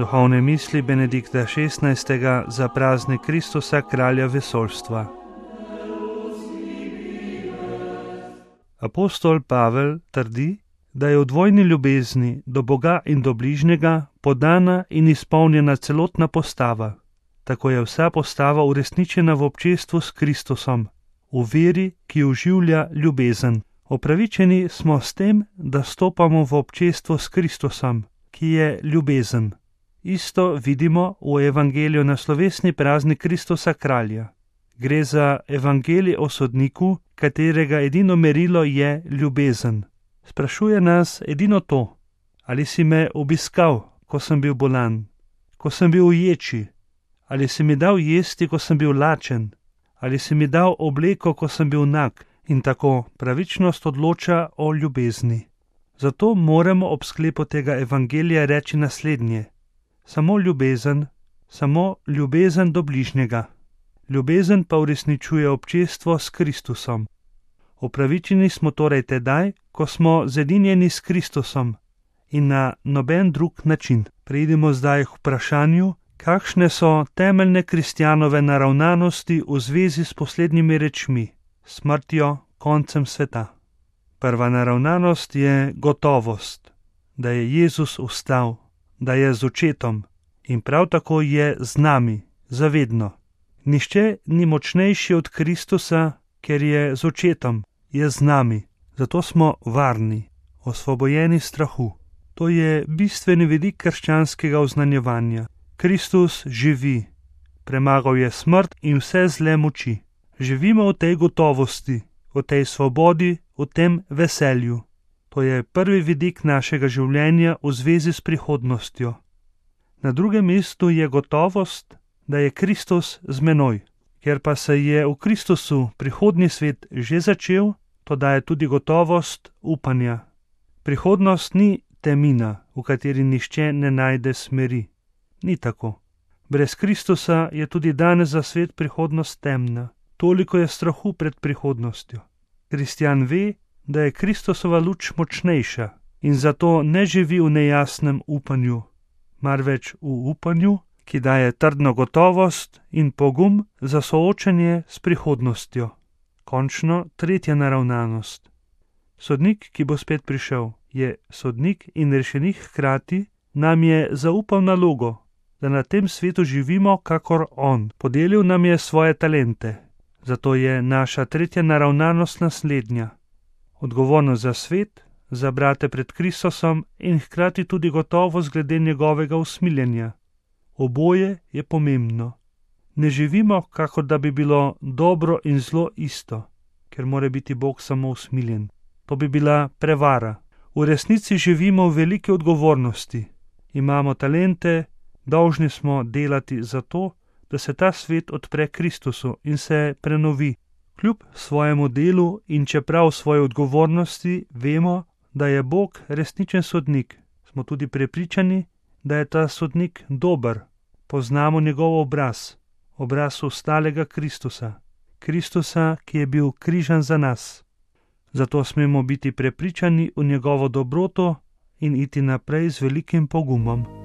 Duhovne misli Benedikta XVI. Za praznik Kristusa, kralja vesoljstva. Apostol Pavel trdi, da je v dvojni ljubezni do Boga in do bližnjega podana in izpolnjena celotna postava. Tako je vsa postava uresničena v občestvu s Kristusom, v veri, ki oživlja ljubezen. Opravičeni smo s tem, da stopamo v občestvo s Kristusom, ki je ljubezen. Isto vidimo v evangeliju na slovesni praznik Kristusa kralja. Gre za evangelij o sodniku, katerega edino merilo je ljubezen. Sprašuje nas edino to: ali si me obiskal, ko sem bil bolan, ko sem bil v ječi, ali si mi dal jesti, ko sem bil lačen, ali si mi dal obleko, ko sem bil nag. In tako pravičnost odloča o ljubezni. Zato moramo ob sklepu tega evangelija reči naslednje: samo ljubezen do bližnjega. Ljubezen pa uresničuje občestvo s Kristusom. Opravičeni smo torej tedaj, ko smo zedinjeni s Kristusom in na noben drug način. Preidimo zdaj k vprašanju, kakšne so temeljne kristjanove naravnanosti v zvezi s poslednjimi rečmi, smrtjo, koncem sveta. Prva naravnanost je gotovost, da je Jezus vstal, da je z očetom in prav tako je z nami, zavedno. Nihče ni močnejši od Kristusa, ker je z očetom, je z nami, zato smo varni, osvobojeni strahu. To je bistveni vidik krščanskega oznanjevanja. Kristus živi, premagal je smrt in vse zle moči. Živimo v tej gotovosti, v tej svobodi, v tem veselju. To je prvi vidik našega življenja v zvezi s prihodnostjo. Na drugem mestu je gotovost, da je Kristus z menoj. Ker pa se je v Kristusu prihodnji svet že začel, to daje tudi gotovost upanja. Prihodnost ni temina, v kateri nihče ne najde smeri. Ni tako. Brez Kristusa je tudi danes za svet prihodnost temna. Toliko je strahu pred prihodnostjo. Kristjan ve, da je Kristusova luč močnejša in zato ne živi v nejasnem upanju, marveč v upanju, ki daje trdno gotovost in pogum za soočanje s prihodnostjo. Končno tretja naravnanost. Sodnik, ki bo spet prišel, je sodnik in rešenik hkrati, nam je zaupal nalogo, da na tem svetu živimo kakor on. Podelil nam je svoje talente. Zato je naša tretja naravnanost naslednja. Odgovornost za svet, za brate pred Kristusom in hkrati tudi gotovost glede njegovega usmiljenja. Oboje je pomembno. Ne živimo, kakor da bi bilo dobro in zlo isto, ker mora biti Bog samo usmiljen. To bi bila prevara. V resnici živimo v veliki odgovornosti. Imamo talente, dolžni smo delati za to, da se ta svet odpre Kristusu in se prenovi. Kljub svojemu delu in čeprav svoje odgovornosti vemo, da je Bog resničen sodnik. Smo tudi prepričani, da je ta sodnik dober. Poznamo njegov obraz vstalega Kristusa. Kristusa, ki je bil križan za nas. Zato smemo biti prepričani v njegovo dobroto in iti naprej z velikim pogumom.